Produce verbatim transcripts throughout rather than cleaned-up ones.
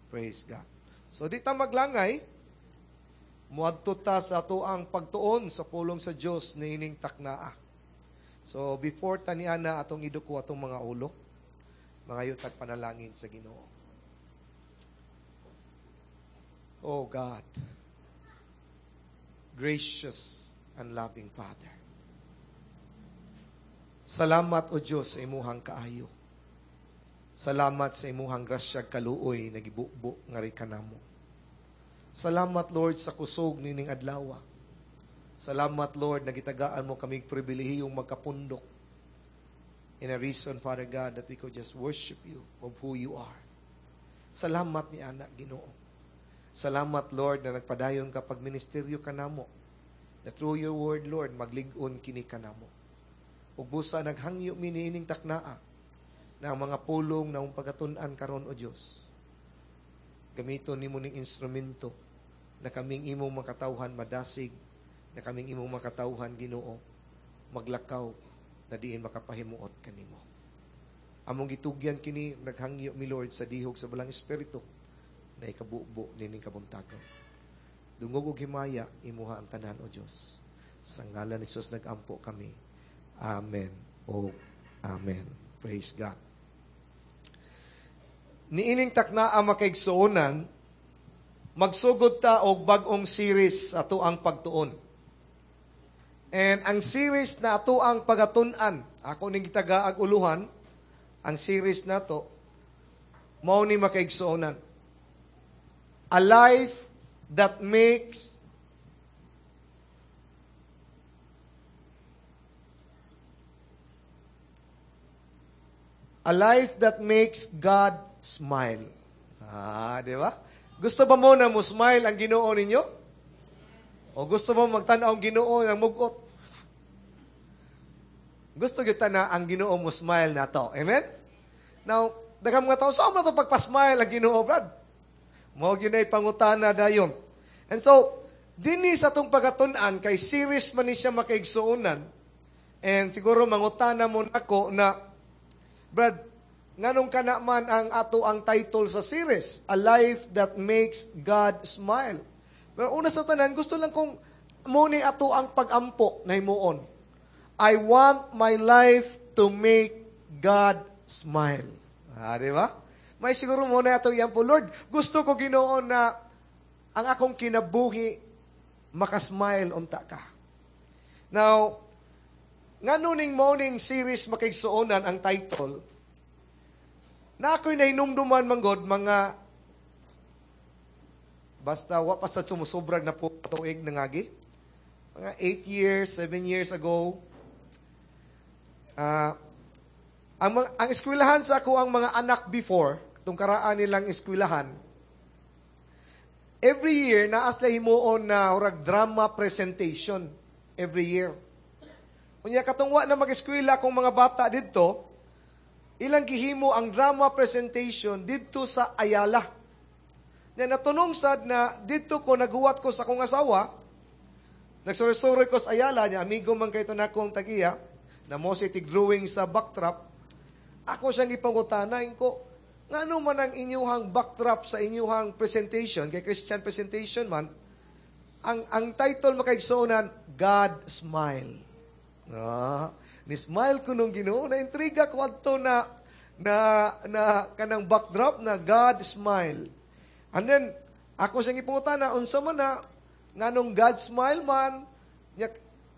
Praise God. So di ta maglangay, muadto ta sa atoang pagtuon sa pulong sa Dios niining taknaa. So before ta niana atong iduko atong mga ulo, mangayo tag panalangin sa Ginoo. Oh God, gracious and loving Father. Salamat o Dios sa imuhang kaayo. Salamat sa imuhang grasya kaluoy na gibubo ngari kanamo. Salamat Lord sa kusog nining adlaw. Salamat Lord na gitagaan mo kami pribilehiyong magkapundok. In a reason, Father God, that we could just worship you of who you are. Salamat ni anak Ginoo. Salamat Lord na nagpadayon ka pagministeryo kanamo. Na through your word, Lord, maglig-on kini kanamo. Ug busa naghangyo mi niining taknaa na ang mga pulong na among pagatun-an karon o Dios. Gamiton nimo ning instrumento na kaming imong makatawhan madasig, na kaming imong makatawhan Ginoo maglakaw na diin makapahimuot kanimo. Among gitugyan kini naghangyo mi Lord sa dihog sa Balaang Espiritu na ikabubo nining kabuntagon. Dungog og himaya imuha ang tanan o Dios. Sa ngalan ni Jesus nagampo kami. Amen. O Amen. Praise God. Niining taknaa makaigsuonan, magsugod ta og bag-ong series sa atoang pagtuon. And ang series na atoang pagatun-an, ako ning gitagaag uluhan, ang series nato, mao ni makaigsuonan. A life that makes A life that makes God smile. Ah, di ba? Gusto ba mo na mo smile ang Ginoo ninyo? O gusto mo magtan-aw ang Ginoo ng mugot? Gusto kita na ang Ginoo mo smile nato. Amen? Now, daghang mga tao, saan mo to pagpa-smile ang Ginoo, Brad? Mao gyud nay pangutana dayon. And so, dinhi sa atong pagatun-an kay series man ni siya makaigsuonan. And siguro mangutana mo nako na Brad, nganong kana man ang ato ang title sa series, A Life That Makes God Smile. Pero una sa tanan, gusto lang kong mo ni ato ang pagampo na himuon. I want my life to make God smile. Ah, di ba? May siguro mo na ato yan po, Lord, gusto ko Ginoo na ang akong kinabuhi makasmile unta ka. Now, ngano ning morning series makaigsuonan ang title, na ako'y nahinumduman manggod mga basta wa pa sa sumusobrag na po tuig nangagi. Mga eight years, seven years ago, uh, ang, mga, ang eskwelahan sa ako ang mga anak before, itong karaan nilang eskwelahan, every year, naas sila himuon na urag drama presentation every year. Unya katong wa na mag-eskwela kung mga bata didto, ilang gihimo ang drama presentation didto sa Ayala. Na natunong sad na didto ko naguwat ko sa akong asawa, nagsuroy-suroy ko sa Ayala niya, amigo man kay to nakong tag-iya, na mo si drawing sa backdrop. Ako siyang gipangutana ko, ngano man ang inyuhang backdrop sa inyuhang presentation, kay Christian presentation man, ang ang title makaigsuonan, God Smile. Ah, ni-smile ko nung Ginoo, na intriga ko adto na na na kanang backdrop na God smile. And then ako siyang ipangutana unsa man na nganong God smile man,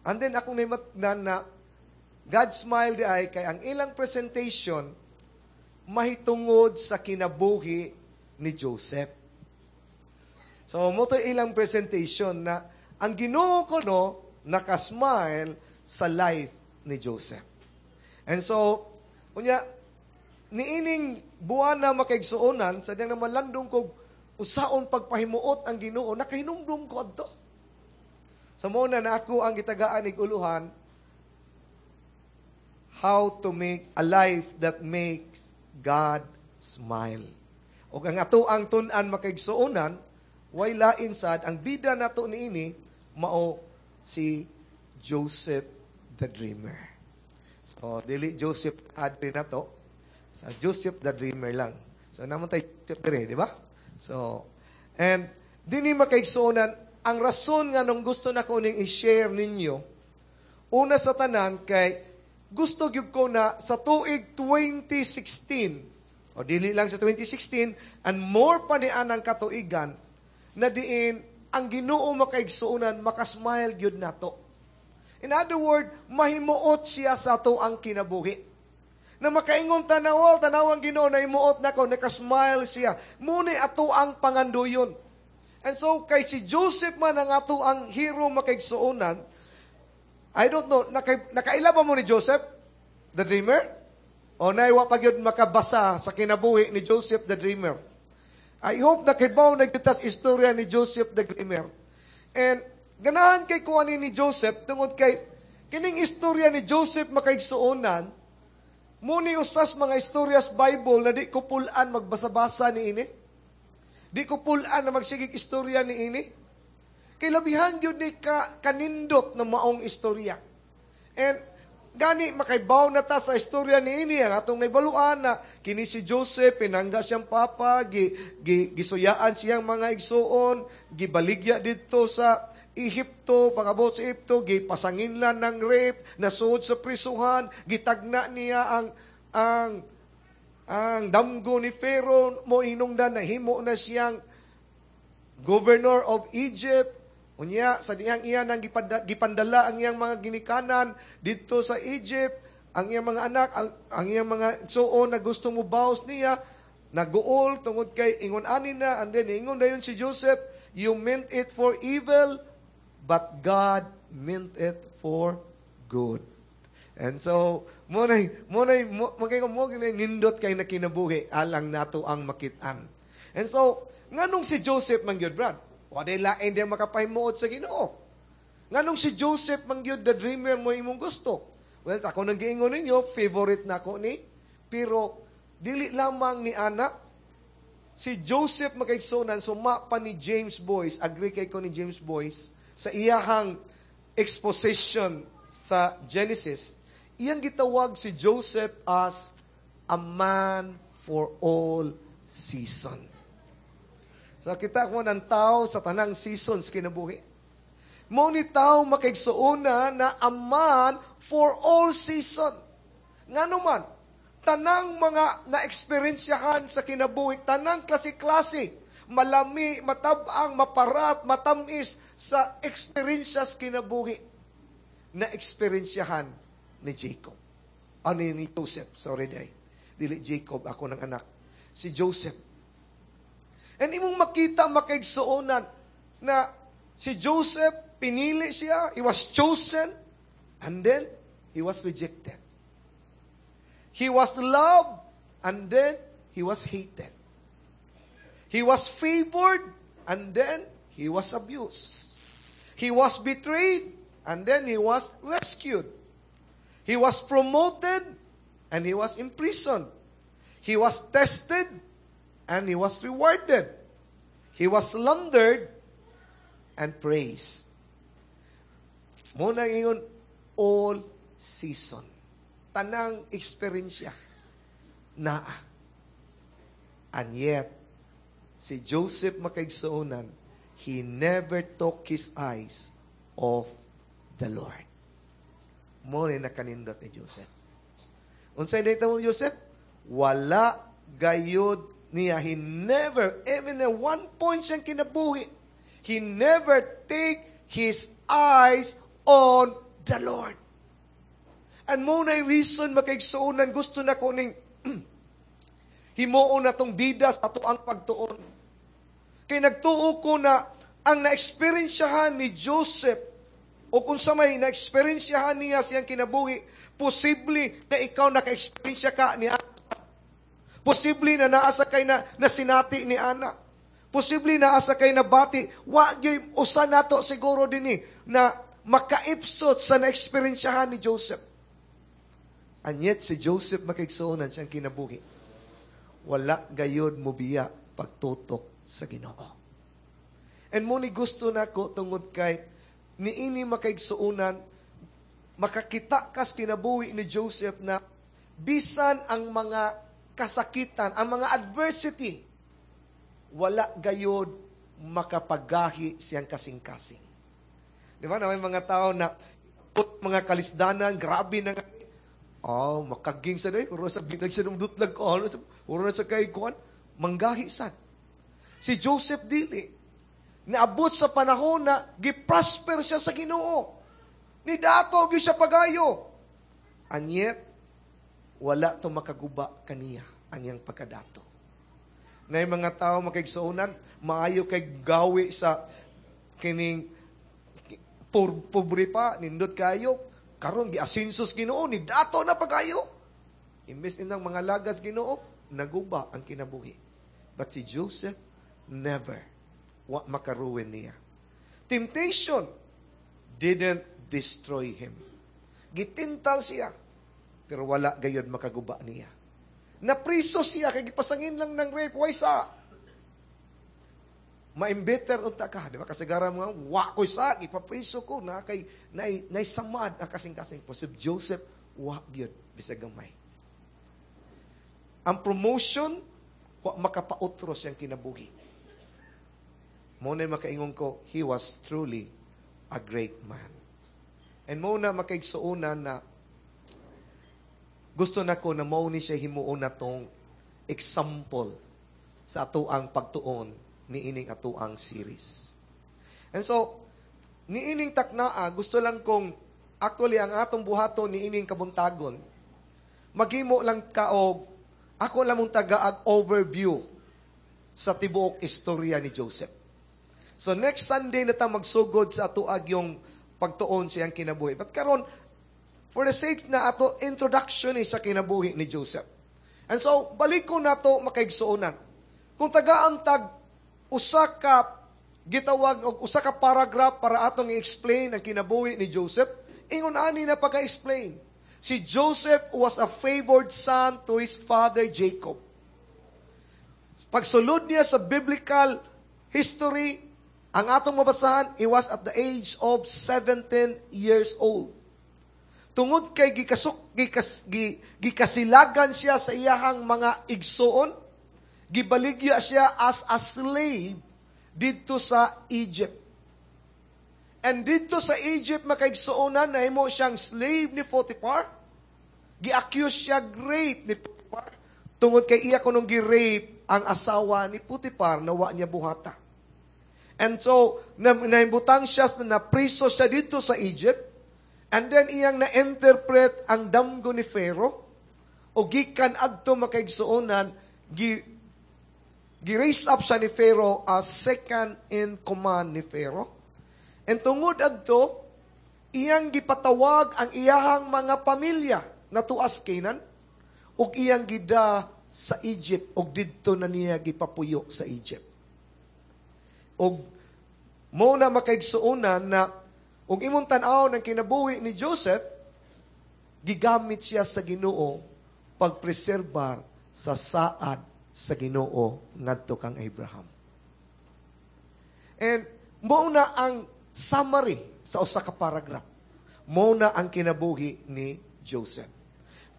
and then akong nahimatnan na God smile di ay kay ang ilang presentation mahitungod sa kinabuhi ni Joseph. So mo to ilang presentation na ang Ginoo ko no nakasmile sa life ni Joseph. And so, unya, niining buwan na makaigsuonan, sa diyang naman landong kog usaon pagpahimuot ang Ginoo, nakahinumdum ko adto. Sa muna na ako ang gitagaan ig uluhan, how to make a life that makes God smile. O ang ato ang tun-an makaigsuonan, way lain sad, ang bida nato niini, mao si Joseph the Dreamer. So, dili Joseph Adri na to. Sa Joseph the Dreamer lang. So, naman tayo Joseph dire, di ba? So, and dini makaigsuonan, ang rason nga nung gusto na ko ning i-share ninyo, una sa tanan kay gusto gyud ko na sa tuig twenty sixteen, o dili lang sa twenty sixteen, and more pa ni anang katuigan, na diin ang Ginoo makaigsuonan, makasmile gyud nato. In other word, mahimuot siya sa ato ang kinabuhi. Na makaingon tanawal, tanawang Ginoo na himuot nako, nakasmile siya. Muni ato ang panganduyon. And so, kay si Joseph man ang ato ang hero makaigsuonan, I don't know, naka, nakaila ba mo ni Joseph, the Dreamer? O naiwa pa gyud makabasa sa kinabuhi ni Joseph the Dreamer? I hope nakibaw na gyud tas istorya ni Joseph the Dreamer. And ganahan kay kuan ni Joseph tungod kay kining istorya ni Joseph makaigsuonan, muni usas mga istoryas Bible na di ko pulan magbasa-basa ni ini. Di ko pulan na magsigig istorya ni ini. Kay labihan gyud ni ka, kanindot na maong istorya. And gani makaibaw na ta sa istorya ni ini ang atong naibaluan na kini si Joseph pinangga siyang papa, gi, gi, gisuyaan siyang mga igsuon, gibaligya didto sa Ehipto, pangabot sa Ehipto, gipasanginlan ng rape, nasuod sa prisuhan, gitagna niya ang ang ang damgo ni Pharaoh, mo hinungdan nahimo na siyang governor of Egypt. Unya sa dihang iya nang gipandala ang iyang mga ginikanan didto sa Egypt, ang iyang mga anak, ang, ang iyang mga igsuon na gusto mo baos niya, naguol tungod kay ingon ani na, and then ingon dayon si Joseph, "You meant it for evil, but God meant it for good." And so, mo na mo na mo mo mo nindot kay nakinabuhi alang nato ang makit-an. And so, nganong si Joseph man gyud, Brad? Walay lain din makapahimuot sa Ginoo. Nganong si Joseph man gyud the Dreamer mo imong gusto? Well, ako nang giingon ninyo, favorite na ako ni. Pero, dili lamang ni ana, si Joseph makaigsunan, suma pa ni James Boice, agree kay ko ni James Boice, sa iyahang exposition sa Genesis, iyang gitawag si Joseph as a man for all season. So kita ko ng tao sa tanang seasons kinabuhi. Mo ni tao makaigsuona na a man for all season. Ngano man, tanang mga na-eksperyensyahan sa kinabuhi, tanang klase-klase, malami, matabang, maparat, matamis sa eksperyensya kinabuhi na eksperyensyahan ni Jacob. Ano ni Joseph, sorry day. Dili Jacob, ako ng anak. Si Joseph. And imong makita makaigsuonan na si Joseph, pinili siya, he was chosen, and then he was rejected. He was loved, and then he was hated. He was favored, and then he was abused. He was betrayed, and then he was rescued. He was promoted, and he was imprisoned. He was tested, and he was rewarded. He was slandered and praised. Muna ingon, all season. Tanang eksperyensya naa. And yet, si Joseph makaigsuonan, he never took his eyes off the Lord. Mo ni nakanindot ni Joseph. Unsay data mo ni Joseph? Wala gayud niya. He never, even at one point siyang kinabuhi, he never take his eyes on the Lord. And mo na reason makaigsuonan, gusto na ko ning himuon na tong bida sa ato ang pagtuon. Kay nagtuo ko na ang na-experiensyahan ni Joseph o kung sa may na-experiensyahan niya siyang kinabuhi, posible na ikaw naka-experiensya ka ni Ana. Posible na naasa kay na, na sinati ni Ana. Posible na asa kay nabati. Wa gyud usa nato siguro dinhi na makaipsot sa na-experiensyahan ni Joseph. And yet si Joseph makaigsuonan siyang kinabuhi. Wala gayod mobiya pagtutok sa Ginoo. And mo ni gusto nako tungod kay niini makaigsuonan, makakita kas kinabuhi ni Joseph na bisan ang mga kasakitan, ang mga adversity, wala gayod makapagahi siyang kasing-kasing. Di ba na may mga tao na put mga kalisdanan, grabe na nga. Oh, makaging sa day, uro sa binag siya ng dutlag ko, ano, uro na sa kay kuan, manggahi sad. Si Joseph dili naabot sa panahon na giprosper siya sa Ginoo. Ni dato gyud siya pagayo. And yet, wala to makaguba kaniya ang iyang pagkadato. Na yung mga tao makaigsuonan, maayo kay gawi sa kining por, pobre pa, nindot kayo, karon giasinsos Ginoo ni dato na pagayo. Imbes inang mga lagas Ginoo, naguba ang kinabuhi. But si Joseph never wa makaruin niya. Temptation didn't destroy him. Gitintal siya, pero wala gayod makaguba niya. Napriso siya, kay gipasangin lang ng rape, way sa. Ma-embitter unta ka, di ba? Kasagara mo nga, wa ko sa, ipapriso ko, na kay, nay, nay samad ang kasing-kasing. Po si Joseph, wa gyud, bisag gamay. Ang promotion, wa makapautro siyang kinabuhi. Mo na makaingon ko, he was truly a great man. And mo na makaigsuonan na gusto na ko na mao ni siya himuon na tong example sa atoang pagtuon ni ining atoang series. And so, niining taknaa, gusto lang kong actually ang atong buhaton ni ining kabuntagon, maghimo lang ka og ako lang mong tagaag overview sa tibuok istorya ni Joseph. So next Sunday na ta magsugod sa atoag yung pagtuon siyang kinabuhi. But karon for the sake na ato introduction ni sa kinabuhi ni Joseph. And so balik ko nato makaigsuonan. Kung tagaan tag usa ka gitawag og usa ka paragraph para atong i-explain ang kinabuhi ni Joseph, ingon ani na pagka-explain. Si Joseph was a favored son to his father Jacob. Pagsulod niya sa biblical history, ang atong mabasahan, he was at the age of seventeen years old. Tungod kay gikasuk, gikas, gi, gikasilagan siya sa iyahang mga igsoon, gibaligya siya as a slave didto sa Egypt. And didto sa Egypt, makaigsuonan, nahimo siyang slave ni Potiphar. Gi-accuse siya rape ni Potiphar. Tungod kay iya kunong gi-rape ang asawa ni Potiphar na wa niya buhata. And so, na, naimbutang siya, na napriso siya dito sa Egypt. And then iyang na-interpret ang damgo ni Pharaoh. O gikan adto makaigsuonan, gi, gi-raise up siya ni Pharaoh as second in command ni Pharaoh. And tungod adto, iyang gipatawag ang iyahang mga pamilya na tuas Canaan, ug iyang gida sa Egypt, ug didto na niya gipapuyo sa Egypt. Ug mo na makaigsuonan na ug imong tan-aw ng kinabuhi ni Joseph, gigamit siya sa Ginoo pagpreserbar sa saad sa Ginoo ngadto kang Abraham. And mao na ang summary sa usa ka paragraph. Mao na ang kinabuhi ni Joseph.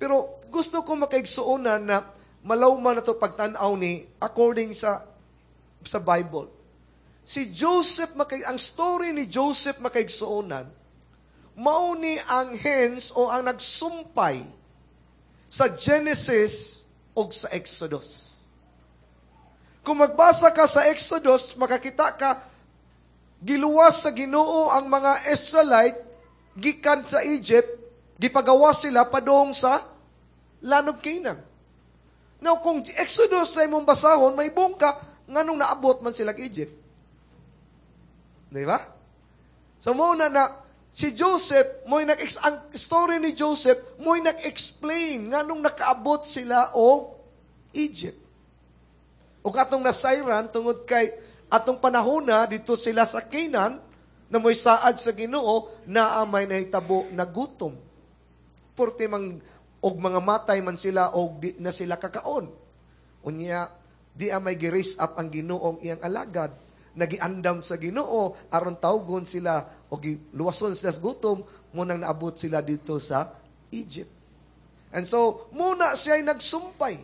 Pero gusto ko makaigsuonan na malawman na to pagtan-aw ni according sa sa Bible. Si Joseph, makay, ang story ni Joseph makaigsuonan, mao ni ang hens o ang nagsumpay sa Genesis o sa Exodus. Kung magbasa ka sa Exodus, makakita ka, giluwas sa Ginoo ang mga Israelite gikan sa Egypt, gipagawas sila padung sa land of Canaan. Now, kung Exodus na imong basahon, may bungka, nganong naabot man sila Egypt. Di ba? So, muna na, si Joseph, mo'y nag ang story ni Joseph, mo'y nag-explain nganong nakaabot sila og Egypt. O atong nasayran, tungod kay atong panahon na, dito sila sa Canaan, na mo'y saad sa Ginoo, na may nahitabo na gutom. Porte mang, og mga matay man sila, og di na sila kakaon. Unya, di amay gi-raise up ang Ginoong iyang alagad, nagiandam sa Ginoo aron tawgon sila o giluwason sila sa gutom, munang naabot sila dito sa Egypt. And so, muna siya'y nagsumpay.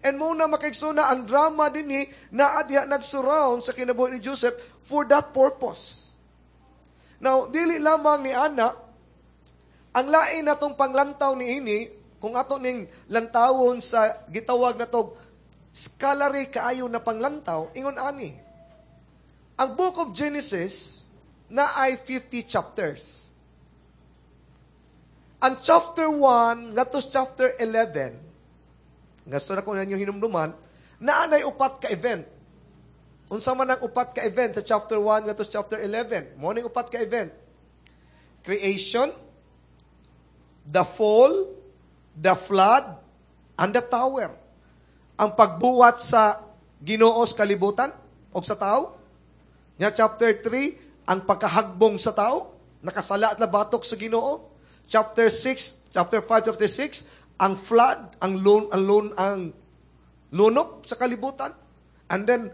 And mao na, makaigsoon, ang drama dinhi naa diha nag-surround sa kinabuhi ni Joseph for that purpose. Now, dili lamang ni ana, ang lain natong panglantaw ni ini, kung ato ning lantawon sa gitawag na to scholarly kaayo na panglantaw, ingon ani. Ang Book of Genesis naay fifty chapters. Ang chapter one ngadto sa chapter eleven, gusto na ko ninyo hinumduman, naanay upat ka event. Unsa man ang upat ka event sa chapter one ngadto sa chapter eleven? Mao ning upat ka event. Creation, the fall, the flood, and the tower. Ang pagbuhat sa Ginoo sa kalibutan o sa tao. Nya chapter three, ang pagkahagbong sa tao, nakasala at batok sa Ginoo. Chapter six, chapter five, chapter six, ang flood, ang lun, ang lun, ang lunok sa kalibutan. And then,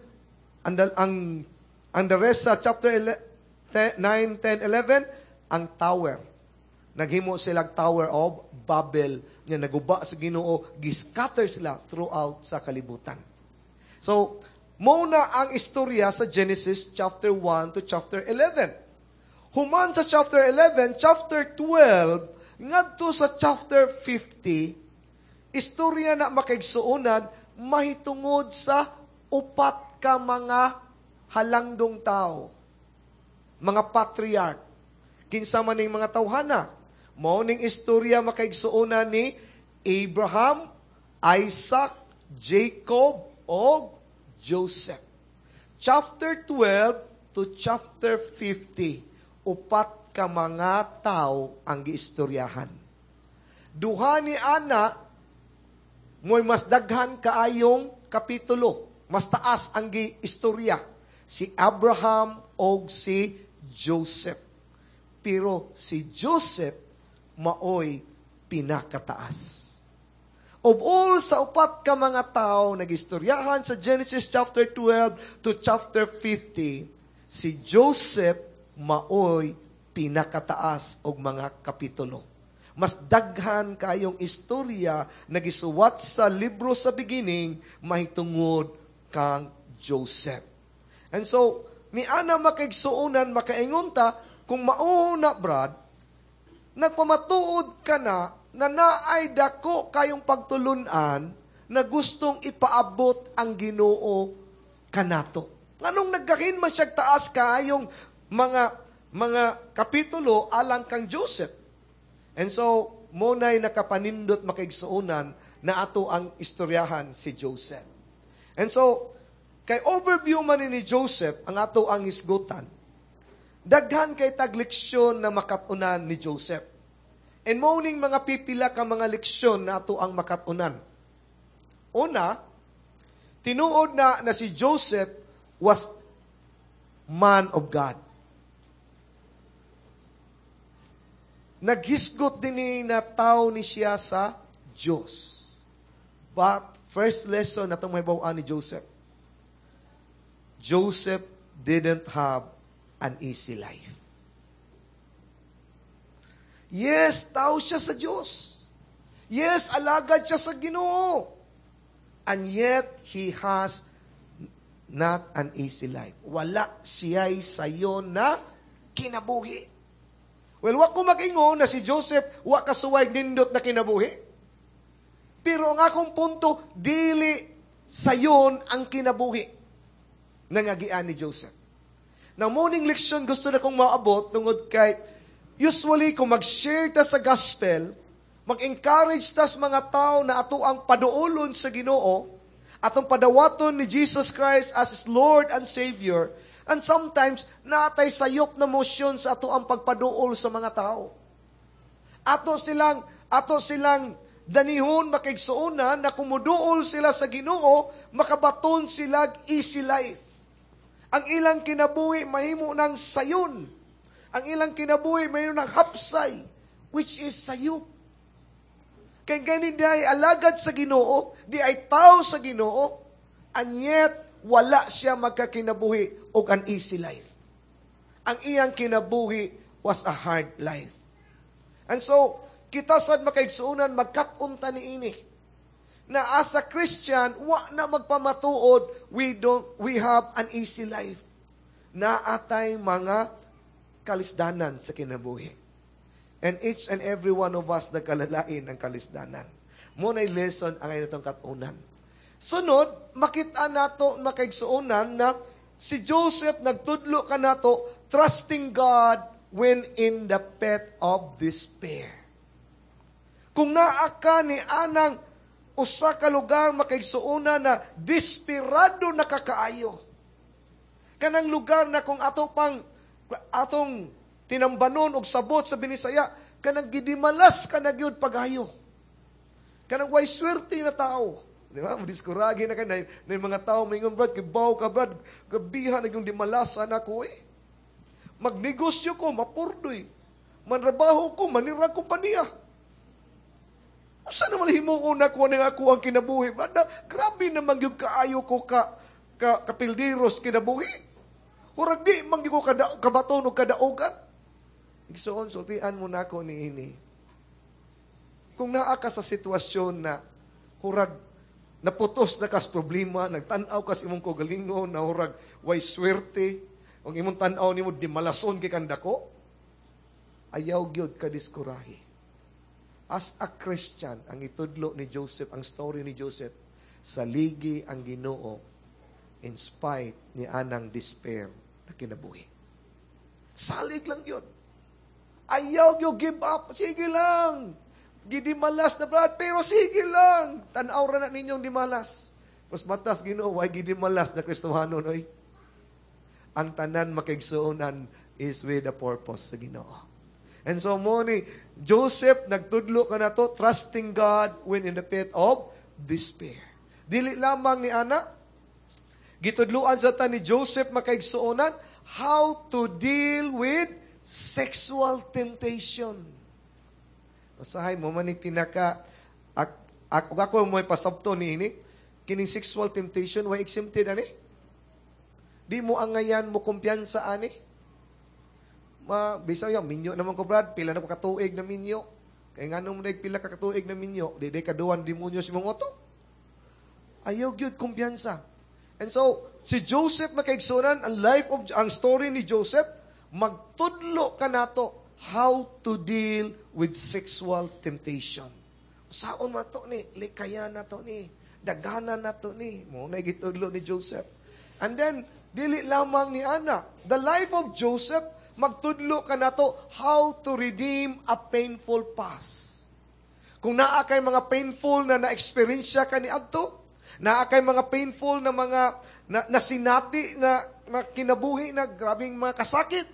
and the, ang, ang the rest sa chapter nine, ten, eleven, ang tower. Naghimo sila Tower of Babel nga naguba sa Ginoo, giscatter sila throughout sa kalibutan. So, mao na ang istorya sa Genesis chapter one to chapter eleven. Human sa chapter eleven, chapter twelve, ngadto sa chapter fifty, istorya na, makaigsuonan, mahitungod sa upat ka mga halangdong tao. Mga patriarch. Kinsa man ning mga tawhana? Mao ning istorya, makaigsuonan, ni Abraham, Isaac, Jacob, o Joseph. Chapter twelve to chapter fifty, upat ka mga tao ang giistoryahan. Duha ni ana mo'y mas daghan kaayong kapitulo, mas taas ang giistorya, si Abraham og si Joseph. Pero si Joseph maoy pinakataas. Of all sa upat ka mga tao nagistoryahan sa Genesis chapter twelve to chapter fifty, si Joseph maoy pinakataas og mga kapitulo. Mas daghan kayong istorya nagisuwat sa libro sa beginning mahitungod kang Joseph. And so, ni ana, makaigsuonan, makaingon ta, kung mauna, Brad, nagpamatuod ka na na naay dako kayong pagtulunan na gustong ipaabot ang Ginoo kanato. Nganong naggahin man siya taas kaayong mga mga kapitulo alang kang Joseph? And so, mao nay nakapanindot, makaigsuonan, na ato ang istoryahan si Joseph. And so, kay overview man ni Joseph ang ato ang hisgutan, daghan kay tag leksyon na makatunan ni Joseph. And mao ning mga pipila ka mga leksyon na ato ang makatunan. Una, tinuod na na si Joseph was man of God. Naghisgot din ni na tao ni siya sa Diyos. But first lesson na itong mahibaw ni Joseph, Joseph didn't have an easy life. Yes, tao siya sa Diyos. Yes, alagad siya sa Ginoo. And yet, he has not an easy life. Wala siya'y sayon na kinabuhi. Well, wa ko mag-ingon na si Joseph wa kasuway nindot na kinabuhi. Pero ang akong punto, dili sayon ang kinabuhi nangagian ni Joseph. Now, mao ning leksyon gusto na kong maabot tungod kay usually kung mag-share ta sa gospel, mag-encourage ta sa mga tao na ato ang paduolon sa Ginoo, atong padawaton ni Jesus Christ as his Lord and Savior, and sometimes natay sayop na motion sa ato ang pagpaduol sa mga tao. Ato silang, ato silang danihon, makaigsuonan, na kumuduol sila sa Ginoo, makabaton sila easy life. Ang ilang kinabuhi mahimo ng sayon. Ang ilang kinabuhi mahimo ng hapsay, which is sayop. Kay gani di ay alagad sa Ginoo, di ay tao sa Ginoo, and yet wala siya magkakinabuhi og an easy life. Ang iyang kinabuhi was a hard life. And so, kita sad makaigsuonan, magkat-on ta niini. Na as a Christian, wa na magpamatuod, we don't, we have an easy life. Naatay mga kalisdanan sa kinabuhi. And each and every one of us nagkalalain ang kalisdanan. Mao na'y lesson ang atong katunan. Sunod, makita nato makaigsuonan na si Joseph nagtudlo kanato trusting God when in the pit of despair. Kung naa ka ni anang usa ka lugar makaigsuonan na desperado na kakaayo. Kanang lugar na kung ato pang atong tinambanon og sabot sa Binisaya, kanang gidimalas ka na gyud pagayo. Kanang way swerte na tao. Di ba? Madiskuragi na ka na, na yung mga tao maingon, Brad, kibaw ka, Brad, grabihan na yung dimalasan ako eh. Magnegosyo ko, mapurdoy. Manrabaho ko, manirag kompanya. Usa naman himuon ako ng ako ang kinabuhi. Brad, na, grabe naman yung kaayo ko ka, ka kapildiros kinabuhi. Murag di man gyud ko kada, kabaton og kadaogan. Igsoon, sultian mo na ako ni ini. Kung naa ka sa sitwasyon na hurag naputos na kas problema, nagtan-aw kas imong kaugalingon, na hurag way swerte, ang imong tan-aw nimo di malason kay kandako, ayaw gyud ka diskurahi. As a Christian, ang itudlo ni Joseph, ang story ni Joseph, saligi ang Ginoo in spite ni anang despair na kinabuhi. Salig lang yun. Ayaw gyud give up. Sige lang. Gidimalas na Brad, pero sige lang. Tanaw ra na ninyong dimalas. Mas matas Ginoo, way gidimalas na Kristohanon oy. Ang tanan makigsuonan is with a purpose sa Ginoo. And so mo ni Joseph nagtudlo ka na to trusting God when in the pit of despair. Dili lamang ni ana gitudluan sa ta ni Joseph makaigsuonan how to deal with sexual temptation. Usahay mo man ni pinaka ak, ak, ako mo pasabto ni ini kining sexual temptation way exempted ani. Di mo angayan mo kumpiyansa ani. Ma bisaw ya minyo naman ko Brad, pila na ko katuig na minyo. Kay nganong mo pila ka katuig na minyo, di di kaduan demonyo sa imong utok. Ayaw gyud kumpiyansa. And so, si Joseph makaigsunan, ang life of, ang story ni Joseph, magtudlo ka nato how to deal with sexual temptation. Saon man to ni, likayan na to ni, daganan na to ni, mo na gitudlo ni Joseph. And then, dili lamang ni Ana. The life of Joseph, magtudlo ka nato how to redeem a painful past. Kung naa kay mga painful na na-experience ka ni adto, naa kay mga painful na mga na, nasinati na, na kinabuhi na grabing mga kasakit.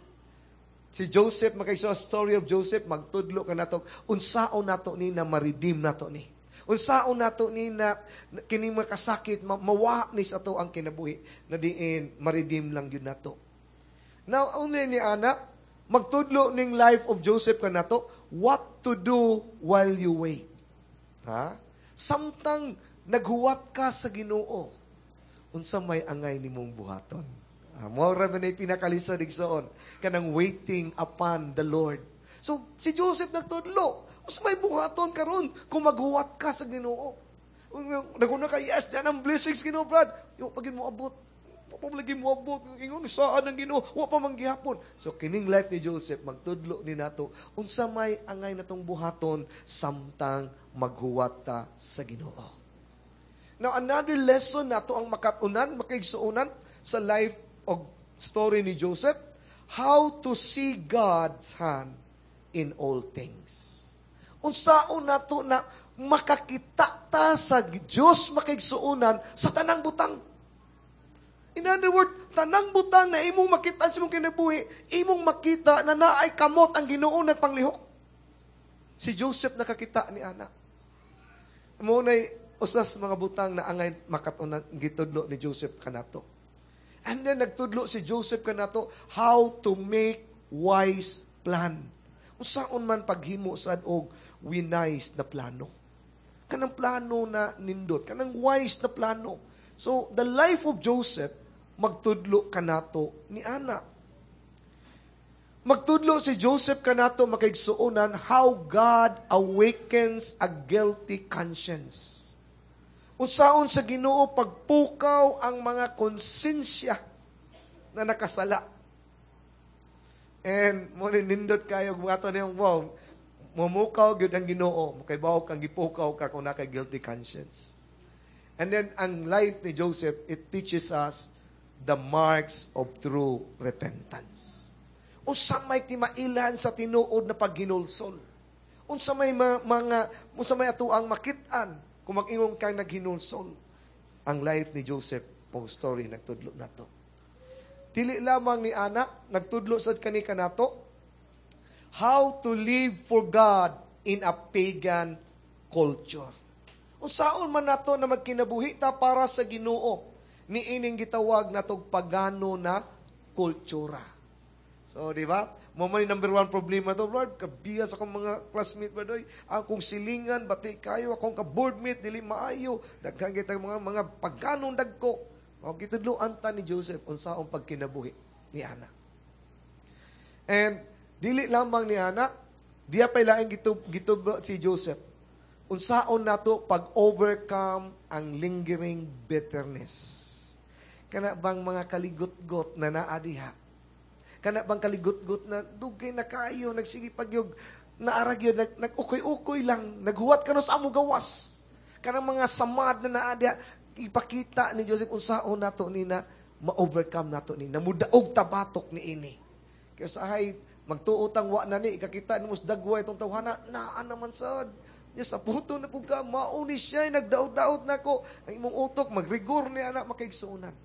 Si Joseph, makaiso story of Joseph, magtudlo ka nato, unsaon nato ni na ma-redeem nato ni. Unsaon nato ni na kining mga kasakit, ma- mawa ni sa ato ang kinabuhi, na diin ma-redeem lang yun nato. Now, only ni Ana, magtudlo ning life of Joseph ka nato, what to do while you wait. Ha? Samtang naghuwat ka sa Ginoo, unsa may angay nimong buhaton. Ah, mao ra man ay pinakalisod igsoon kanang waiting upon the Lord. So si Joseph nagtudlo, unsa may buhaton karon kung maghuwat ka sa Ginoo. Naguna ka, yes, yan ang blessings Ginoo, Brad. Yo pag mo abot, wa pa man lagi mo abot, ingon saan ang Ginoo, wa pa man gihapon. So kining life ni Joseph magtudlo ni nato unsa may angay natong buhaton samtang maghuwat ta sa Ginoo. Now another lesson nato ang makatunan, makaigsuonan sa life og story ni Joseph, how to see God's hand in all things. Unsaon nato na makakita ta sa Dios makaigsuonan sa tanang butang. In other words, tanang butang na imong makita sa imong kinabuhi, imong makita na naay kamot ang Ginoo nagpanglihok. Si Joseph nakakita ni ana. Mao nay usas mga butang na angay makatunan gitudlo ni Joseph kanato. And then nagtudlo si Joseph kanato how to make wise plan. Unsaon man paghimo sad og wise na plano. Kanang plano na nindot, kanang wise na plano. So the life of Joseph magtudlo kanato ni ana. Magtudlo si Joseph kanato makaigsuonan how God awakens a guilty conscience. Unsaon sa Ginoo pagpukaw ang mga konsensya na nakasala. And mo ni nindot kayo kung ato niyong wow, mumukaw gyud ang Ginoo, kay bawo kang gipukaw ka kung naka guilty conscience. And then ang life ni Joseph, it teaches us the marks of true repentance. Unsa may timailhan sa tinuod na paghinulsol? Unsa may ma- mga unsa may atoang makit-an kung mag-ingon kang naghinulsol? Ang life ni Joseph po story nagtudlo nato. Dili lamang ni ana nagtudlo sad kani kanato how to live for God in a pagan culture. Unsaon man nato na magkinabuhi ta para sa Ginoo ni ining gitawag natog pagano na kultura. So, di ba? Mo man number one problema to, Lord, kabiya sa akong mga classmate ba doy. Akong silingan, bati kayo, akong ka-boardmate, dili maayo. Daghan kita mga mga paganong dagko. O gitudloan ta ni Joseph unsaon pagkinabuhi ni ana. And dili lamang ni ana, diya pa'y laing gitub, gitudlo si Joseph. Unsaon nato pag-overcome ang lingering bitterness. Kana bang mga kaligot-got na naa diha? Kana bang kaligot-got na dugay na kayo, nagsige pagyog, naara gyud, nag, nag-ukoy-ukoy lang, naghuwat ka no sa amo gawas. Kanang mga samad na naa diha, ipakita ni Joseph unsaon nato ni na ma-overcome nato ni, namudaog tabatok ni ini. Kaya sahay, magtuo tang wa na ni, ikakita ni mus dagwa itong tawhana, naa naman sad. Nya sa puto na pud ka, mauni siya, nagdaot-daot na ko. Ang imong utok, magrigor ni anak, makaigsuonan.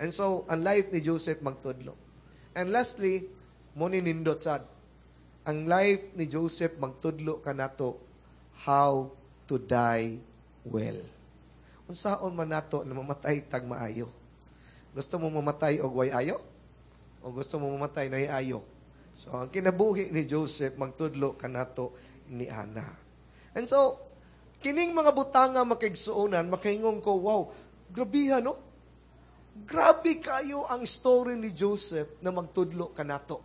And so, ang life ni Joseph magtudlo. And lastly, mo ni nindot sad. Ang life ni Joseph magtudlo kanato how to die well. Unsaon man nato na mamatay tag maayo? Gusto mo mamatay og way ayo? O gusto mo mamatay na ayo? So, ang kinabuhi ni Joseph magtudlo kanato ni ana. And so, kining mga butanga makaigsuonan, makaingon ko, wow, grabihan, no? Grabe kayo ang story ni Joseph na magtudlo kanato.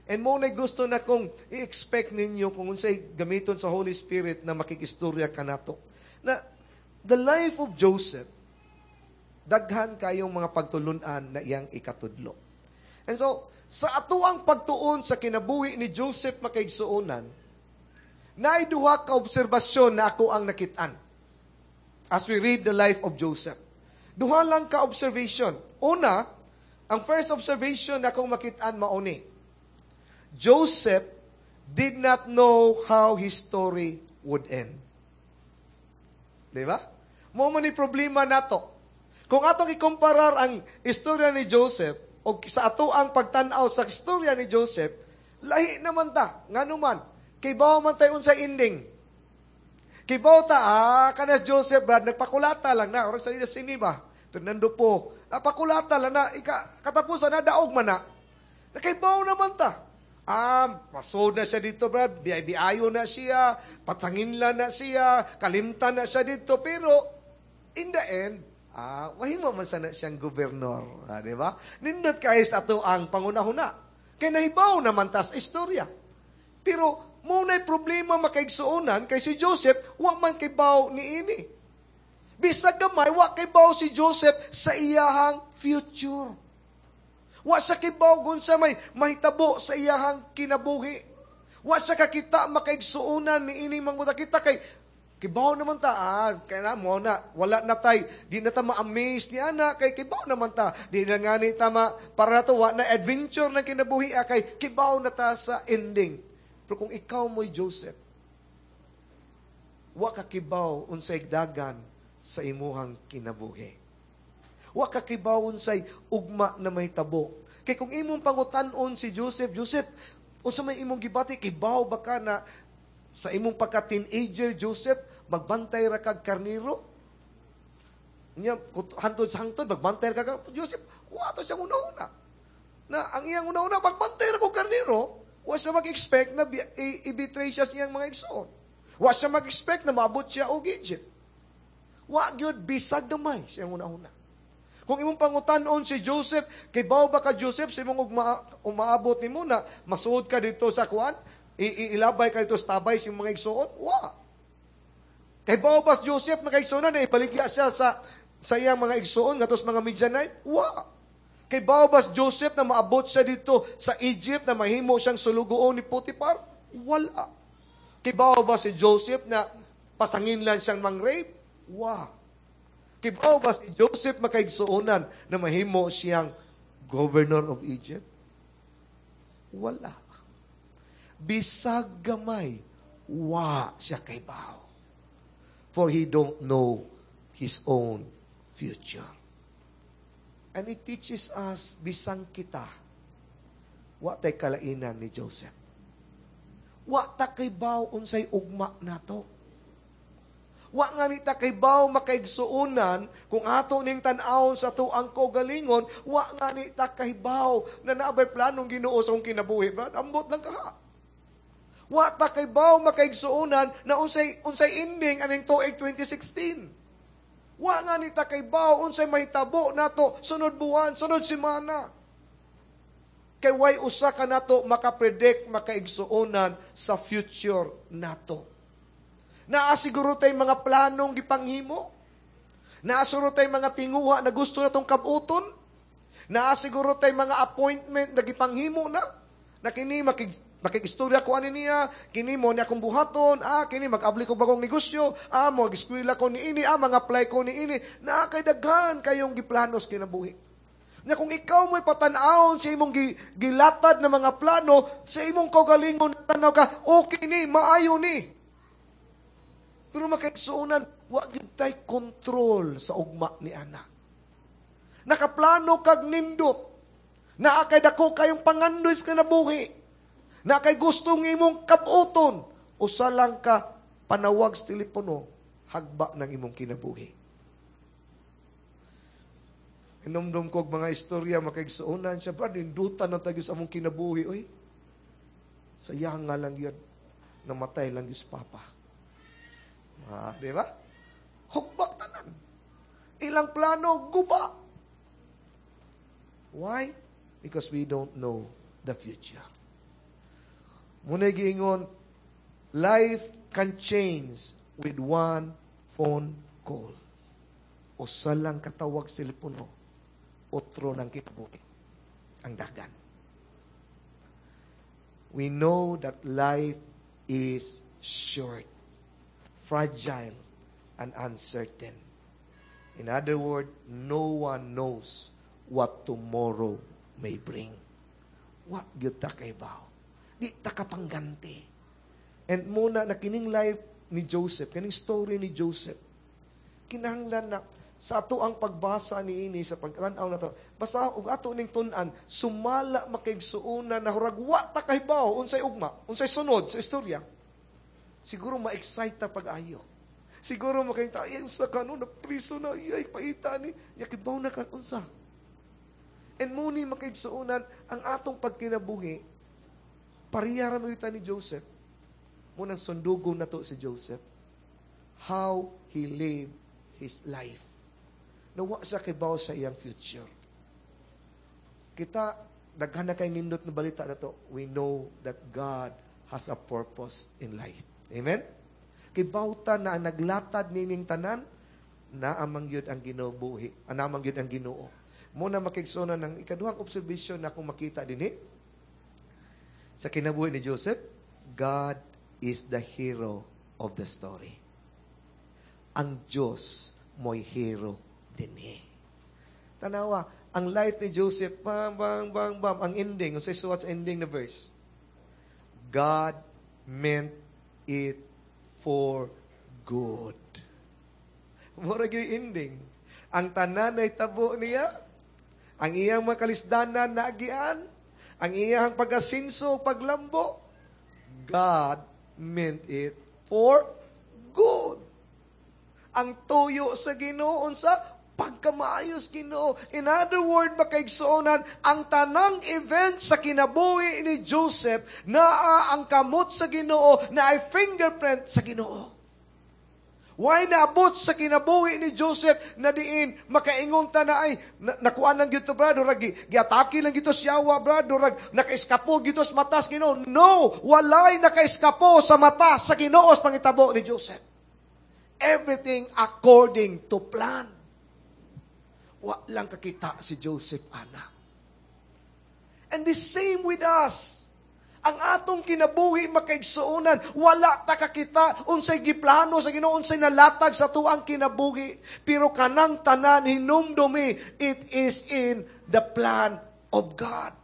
And mo na gusto na kong i-expect ninyo kung unsay gamiton sa Holy Spirit na makikistorya kanato. Na the life of Joseph, daghan kayong mga pagtulunan na iyang ikatudlo. And so, sa atuang pagtuon sa kinabuhi ni Joseph makaigsuonan, naay duha ka obserbasyon na ako ang nakitaan as we read the life of Joseph. Duha lang ka observation. Una, ang first observation na akong makitaan mauni. Joseph did not know how his story would end. Di ba? Mo man ni problema nato. Kung atong ikumparar ang istorya ni Joseph o sa ato ang pagtan-aw sa istorya ni Joseph, lahi naman ta. Ngano man, kay bawo man tayo unsay ending. Kay bawo ta, ah, kanas Joseph, Brad, nagpakulata lang na. Orang sa sini ba? Fernando po. Napakulata lang na. Ika, katapusan na, daog man na. Kay bawo naman ta. Ah, pasod na siya dito, Brad. Biayo na siya. Patanginla na siya. Kalimtan na siya dito. Pero, in the end, ah, wahimo man sana siyang gobernador. Ah, di ba? Nindot kay sa ato ang pangunahuna. Kay nahibaw naman tas istorya. Pero, muna'y problema makaigsuonan kay si Joseph, wa man kay baw ni ini. Bisag gamay, wa kay baw si Joseph sa iyahang future. Wa siya kibaw kung sa may mahitabo sa iyahang kinabuhi. Wa siya kakita makaigsuonan ni ini mga kita kay kibaw naman ta, ah, kaya na mo na, wala na tay, di na ta ma-amaze ni ana, kay kibaw naman ta, di na nga ni tama, para na to, wa na adventure ng kinabuhi, ah, kay kibaw na ta sa ending. Pero kung ikaw mo'y Joseph, wa ka kibaw unsay dagan sa imuhang kinabuhi. Wa ka kibaw unsay ugma na mahitabo. Kay kung imong pangutan-on si Joseph, Joseph, unsa may imong gibati, kibaw ba ka na sa imong pagka-teenager, Joseph, magbantay ra kag karniro? Nya, hantod sa hangtod, magbantay ra kag Joseph, wa to siyang una-una. Na ang iyang una-una, magbantay ra kog karniro, wa siya mag-expect na i-betray siya sa iyang mga igsoon. Wa siya mag-expect na maabot siya og Egypt. Wa gyud bisag gamay siyang una-una. Kung imong pangutan-on si Joseph, kay bawo ba ka Joseph sa imong ugma, umaabot nimo na masuod ka dito sa kuan, ilabay ka dito sa tabay sa imong mga igsoon? Wa. Kahibaw ba si Joseph, makaigsuonan, na ibaligya siya sa sa iyang mga igsuon ngadto sa mga Midianite? Wa. Kahibaw ba si Joseph na maabot siya dito sa Egypt na mahimo siyang sulugoon ni Potiphar? Wala. Kahibaw ba si Joseph na pasanginlan siyang mang-rape? Wa. Kahibaw ba si Joseph, makaigsuonan, na mahimo siyang governor of Egypt? Wala. Bisag gamay, wa siya kahibaw. For he don't know his own future. And it teaches us, bisan kita, wa tay kalainan ni Joseph. Wa ta kahibaw unsay ugma nato. Wa nga ni ta kahibaw, makaigsuonan, kung ato ning tan-awon sa atuang kaugalingon, wa nga ni ta kahibaw na naa bay planong Ginoo sa akong kinabuhi. Brad, ambot lang ka. Wa ta kahibaw, makaigsuonan, na unsay unsay ending aning tuig twenty sixteen. Wa nga ni ta kahibaw unsay mahitabo nato sunod buwan, sunod semana. Kay way usa ka nato makapredict, makaigsuonan, sa future nato. Naa siguro tay mga planong gipanghimo. Naa siguro tay mga tinguha na gusto natong kabuton. Naa siguro tay mga appointment na gipanghimo na. Na kini makig makikistorya ko ani niya, kini mo ni akong buhaton, ah, kini mag-abli ko bagong negosyo, ah, mo eskwela ko ni ini, ah, mga-apply ko ni ini. Naa kay daghan kayong giplano sa kinabuhi. Na kung ikaw mo'y patan-awon sa imong gi, gilatad na mga plano, sa imong kaugalingon tanaw ka, okay ni, maayo ni. Pero makaigsuonan, wa gyud tay kontrol sa ugma ni ana. Nakaplano kag nindot. Naa kay dako kayong pangandoy sa kinabuhi. Naa kay gusto imong kabuton. Usa lang ka panawag sa telepono, hagba ng imong kinabuhi. Hinumdum ko og mga istorya, makaigsuonan siya, "Brad, nindutan ng tagyo sa among kinabuhi. Uy, sayang nga lang yun. Namatay lang yung papa." Ah, di ba? Hugbak tanan. Ilang plano, guba. Why? Because we don't know the future. Muna giingon, life can change with one phone call. Usa lang katawag sa telepono, otro ng kinabuhi ang dagan. We know that life is short, fragile, and uncertain. In other words, no one knows what tomorrow may bring. Wa gyud ta kahibaw. Di ta kapangganti. And muna na kining life ni Joseph, kining story ni Joseph, kinahanglan na sa ato ang pagbasa ni ini sa pagtan-aw na to, basta og ato ning tun-an, sumala, makaigsuonan, na hurag wa ta kahibaw unsay ugma, unsay sunod sa istorya. Siguro ma-excite ta pag-ayo. Siguro makita, ay, unsa ka no, napriso na, ay, paita ni, yakibaw na ka, unsa. And muni, makaigsuonan, ang atong pagkinabuhi, pareha ra ni Joseph. Munang sundugon na to si Joseph. How he lived his life. Nawa siya kibaw sa iyang future. Kita, daghan na kay nindot na balita na to. We know that God has a purpose in life. Amen? Kibawta na ang naglatad nining tanan, naa man gyud ang Ginoo buhi, naa man gyud ang Ginoo. Muna, makaigsuonan, ng ikaduhang observation na kung makita dinhi sa kinabuhi ni Joseph, God is the hero of the story. Ang Diyos mo'y hero dinhi. Tanawa, ang life ni Joseph, bam, bam, bam, bam, ang ending, unsay suwat sa ending na verse? God meant it for good. Mura gyud ending. Ang tanan ay tabo niya, ang iyang mga kalisdanan na agian, ang iyang pag-asinso, paglambo, God meant it for good. Ang tuyo sa Ginoo sa pagkamaayos Ginoo. In other word, makaigsuonan, ang tanang event sa kinabuhi ni Joseph, naa ang kamot sa Ginoo, na ay fingerprint sa Ginoo. Why naabot sa kinabuhi ni Joseph na diin makaingon ta na ay na, nakuan lang gyud to, brad, rag giatake lang gyud to siya, brad, rag nakaiskapo gyud to sa mata sa Ginoo? No, walay nakaiskapo sa mata sa Ginoo sa pangitabo ni Joseph. Everything according to plan. Wa lang kakita si Joseph ana. And the same with us. Ang atong kinabuhi makaigsuonan, wala ta kakita unsay giplano sa Ginoo, unsay nalatag sa atuang kinabuhi. Pero kanang tanan hinumdumi, it is in the plan of God.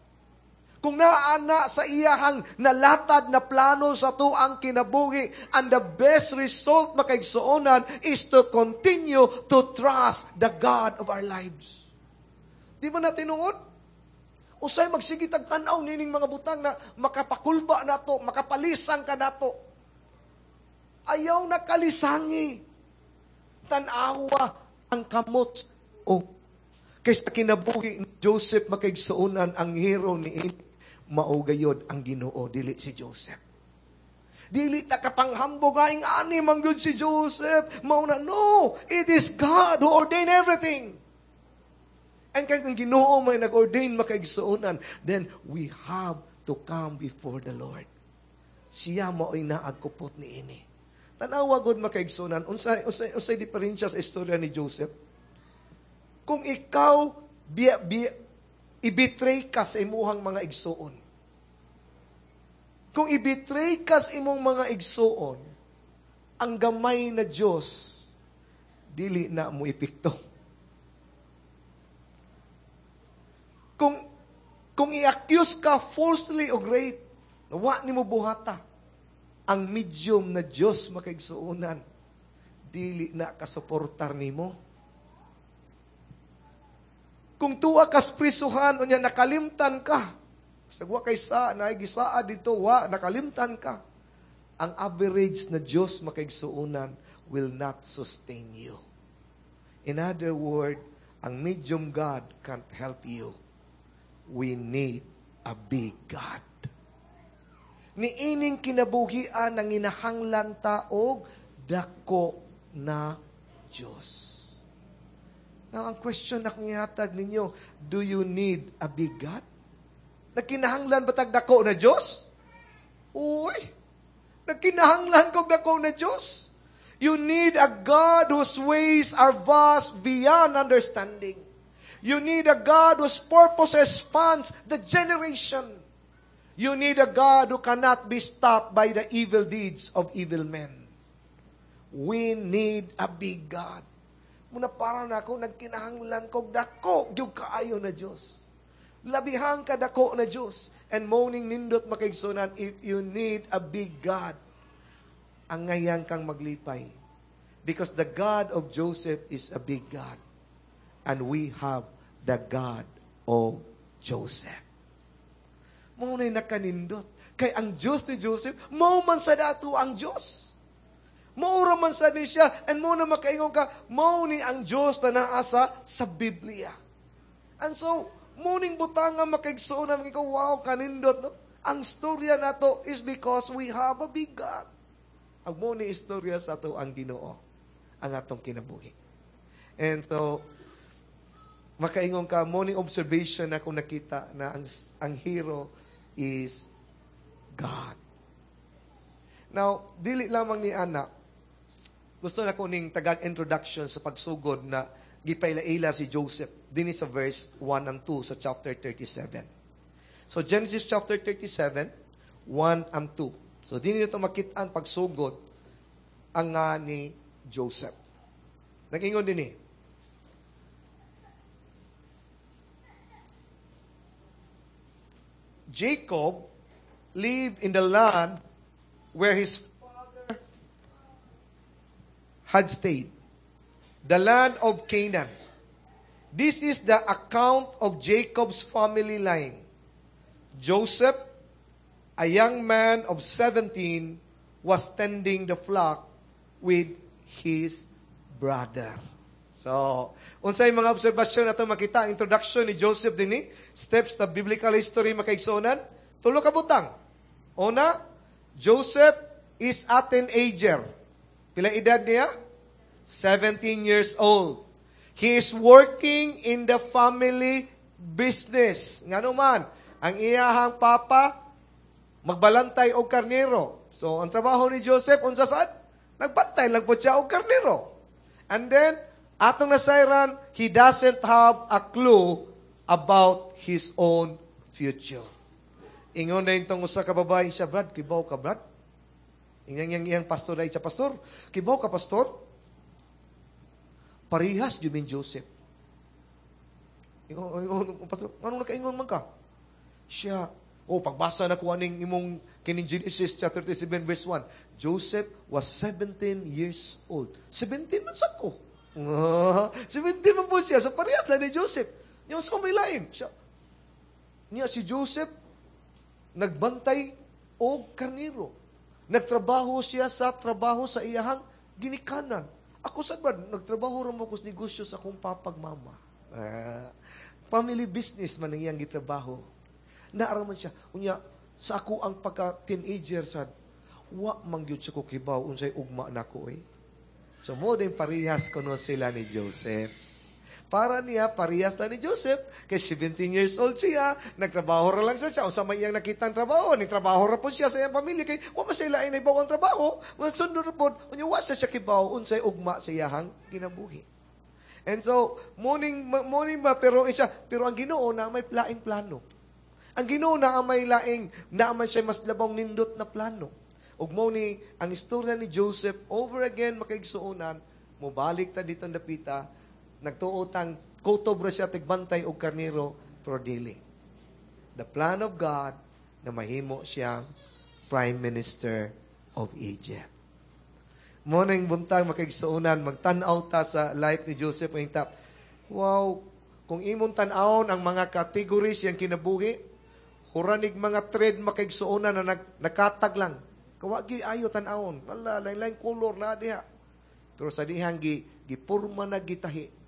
Kung naa na sa iyahang nalatad na plano sa atuang kinabuhi, and the best result makaigsuonan is to continue to trust the God of our lives. Di ba na tinuod? Usay magsige tag tan-aw nining mga butang na makapakulba nato, makapalisang ka nato. Ayaw na kalisangi. Tan-awa ang kamot o kaysa kinabuhi ni Joseph makaigsuonan ang hero ni ini mao gayod ang Ginoo dili si Joseph. Dili ta kapanghambog aing ani man gyud si Joseph. Mao na no, it is God who ordained everything. And kay ang Ginoo may nag-ordain makaigsuonan, then we have to come before the Lord. Siya mao'y naagkupot ni ini. Tanawa gud makaigsuonan, unsay unsay unsay diferensya sa istorya ni Joseph? Kung ikaw biya, biya, i-betray ka sa imuhang mga igsuon. Kung i-betray ka sa imong mga igsuon, ang gamay na Diyos, dili na mo epekto. Kung kung i-accuse ka falsely o rape, wa nimo buhata. Ang medium na Diyos makaigsuonan, dili na kasuportar nimo. Kung tuwa kas prisuhan, unya nakalimtan ka. Sa wa kay sa, naigisaa dito, wa, nakalimtan ka. Ang average na Diyos makaigsuonan will not sustain you. In other word, ang medium God can't help you. We need a big God. Niining kinabuhian ang inahanglan ta og dako na Diyos. Now, ang question na akong ihatag ninyo, do you need a big God? Nagkinahanglan ba tag dako na Diyos? Uy, nagkinahanglan kog dako na Diyos. You need a God whose ways are vast beyond understanding. You need a God whose purpose spans the generation. You need a God who cannot be stopped by the evil deeds of evil men. We need a big God. Muna para na ako, nagkinahanglan kog dako, gyud kaayo na Diyos. Labihang ka dako na Diyos. And moaning nindot makaigsunan, if you need a big God, ang ngayan kang maglipay. Because the God of Joseph is a big God. And we have the God of Joseph. Mao na'y nakanindot. Kay ang Diyos ni Joseph, mao man sa dato ang Diyos. Mao ra man sa ni siya, and mao na makaingon ka, mao ni ang Diyos na naa sa, sa Biblia. And so, muning butang nga makaigsuon na ikaw, wow, kanindot, no? Ang storya nato is because we have a big God. Ang mo ni istorya sa ato ang Ginoo, ang atong kinabuhi. And so, makaingon ka, morning observation na kung nakita na ang, ang hero is God. Now, dili lamang ni Ana, gusto na ko ning tagag introduction sa pagsugod na gipaila-ila si Joseph dinhi sa verse one and two sa chapter thirty-seven. So, Genesis chapter thirty-seven, one and two. So, dinhi nito makit-an pagsugod ang nga ni Joseph. Nag-ingon dinhi. Jacob lived in the land where his father had stayed, the land of Canaan. This is the account of Jacob's family line. Joseph, a young man of seventeen, was tending the flock with his brother. So, unsay mga obserbasyon nato makita ang introduction ni Joseph dinhi, steps to biblical history makaigsuonan, tulo ka butang. Una, Joseph is a teenager. Pila edad niya? seventeen years old. He is working in the family business. Ngano man, ang iyahang papa magbalantay og karnero. So, ang trabaho ni Joseph unsa sad? Nagbantay lang po siya og karnero. And then, atong nasayran, he doesn't have a clue about his own future. Ingon na itong usa ka babae siya, Brad, kibaw ka, Brad? Ingon yang iyang pastor na siya, Pastor, kibaw ka, Pastor? Parihas jud ni Joseph. Ingon, ingon, Pastor, anong nakaingon man ka? Siya, oh, pagbasa na ko aning imong kining Genesis chapter thirty-seven verse one. Joseph was seventeen years old. seventeen man sa ko. seventeen man po siya. So parehas lang ni Joseph. Niya sa may lain. Siya, niya si Joseph, nagbantay og karniro. Nagtrabaho siya sa trabaho sa iyahang ginikanan. Ako sa ba, nagtrabaho ra mo ko sa negosyo sa akong papag mama. Ah, family business man ang iyang gitrabaho. Naara man siya. Unya, sa ako ang pagka-teenager sad, wa man gyud sa ko kibaw unsay ugma nako eh. So mo din parehas kuno sila ni Joseph. Para niya, parehas na ni Joseph, kay seventeen years old siya, nagtrabaho ra lang sa siya, unsa may iyang nakitang trabaho, ni trabaho ra po siya sa iyang pamilya, kay wa man siya lain na ang trabaho, sundon ra pod, unya wa siya siya kibaw, unsay ugma sa iyahang kinabuhi. And so, morning, morning ba, pero siya, pero ang Ginoo na may laing plano. Ang Ginoo na may laing, na man siya mas labong nindot na plano. Ug mo ni ang istorya ni Joseph over again, makaigsuonan, mobalik ta dito dapita, nagtuo tang kutob ra siya tigbantay og karnero, pero dili. The plan of God na mahimo siyang Prime Minister of Egypt. Mo ning buntag, makaigsuonan, magtan-aw ta sa life ni Joseph ta. Wow, kung imong tan-awon ang mga categories yang kinabuhi, huranig mga thread, makaigsuonan, na nag, nakatag lang. Kawagi ayo tan-awon. Wala, lain-lain color na diha. Pero sa dihang gi, gipurma na gitahi.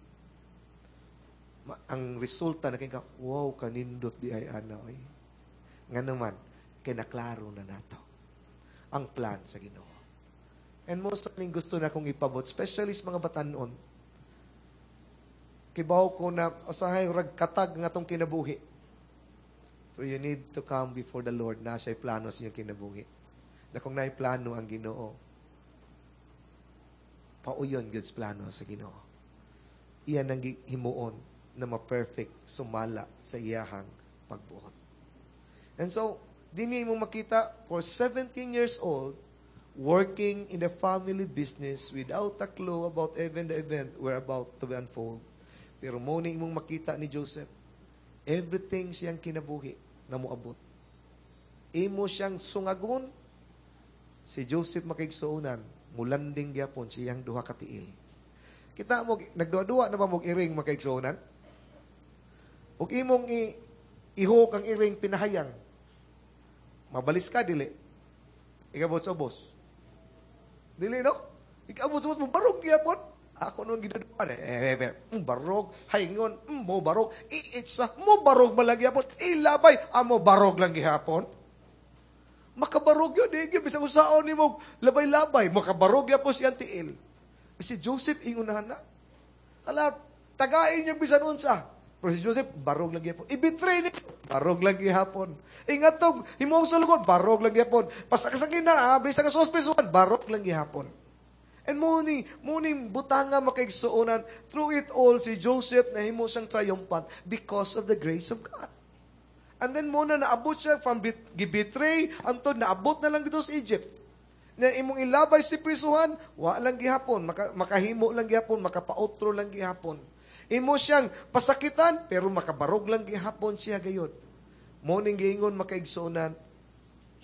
Ma, ang resulta na kay wow, kanindot di ay ana oy. Nga naman, kinaklaro na nato ang plan sa Ginoo. And most ning gusto na kong ipabot, especially sa mga batanon. Kibaw ko na usahay rag katag nga tong kinabuhi. For you need to come before the Lord na siya'y plano sa inyong kinabuhi. Na kung naay plano ang Ginoo, pauyon God's plano sa Ginoo. Iyan ang himuon na ma-perfect sumala sa iyahang pagbuot. And so, dinhi mo makita, for seventeen years old, working in the family business without a clue about even the event were about to be unfold. Pero mo ni imong makita ni Joseph, everything siyang kinabuhi na moabot. Imo siyang sungagon, si Joseph, makaigsuonan, mulanding gyapon siyang duha ka tiil. Kita mo, nagduha-duha na ba mo iring, makaigsuonan? Ug imong i ihok ang iring pinahayang. Mabalis ka, dili? Ikabot sa ubos. Dili, no? Ikabot sa ubos, mo barog gyapon. Ako nung ginaduan, eh, eh, eh, mm, barog, haingon, mm, mo barog, iitsa, mo barog man lang gyapon, ilabay, amo barog lang gihapon. Makabarog yun, eh, bisag usaon ni mo, labay-labay, makabarog gyapon siyang tiil. Si Joseph, ingunahan na. Ala, tagain niya bisan unsa. Pero si Joseph, barog lang gihapon. I-betray niya, barog lang gihapon. Ingatog, himong sa lugod, barog lang gihapon. Pasakasangin na, ah, bisan nga suspisuan, barog lang gihapon. And mo ni, mo ni butanga, makaigsuonan, through it all, si Joseph nahimo siyang triumphant because of the grace of God. And then mo na naabot siya from bit, gibetray antod naabot na lang dito sa Egypt. Na imong ilabay si prisuhan, wa lang gihapon, maka, makahimo lang gihapon, makapautro lang gihapon. Imo siyang pasakitan, pero makabarog lang gihapon siya gayod. Mo ning giingon, makaigsuonan,